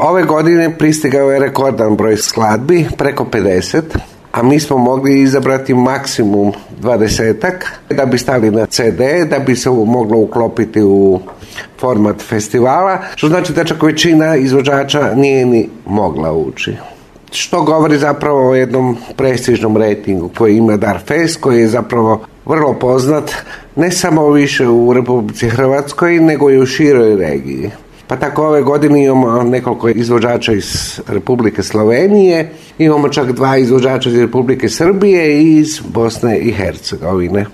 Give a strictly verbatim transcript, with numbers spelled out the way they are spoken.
Ove godine pristigao je rekordan broj skladbi, preko pedeset, a mi smo mogli izabrati maksimum dvadesetak da bi stali na ce de, da bi se moglo uklopiti u format festivala, što znači da čak većina izvođača nije ni mogla ući. Što govori zapravo o jednom prestižnom rejtingu koji ima Darfest, koji je zapravo vrlo poznat ne samo više u Republici Hrvatskoj, nego i u široj regiji. Pa tako ove godine imamo nekoliko izvođača iz Republike Slovenije, imamo čak dva izvođača iz Republike Srbije i iz Bosne i Hercegovine.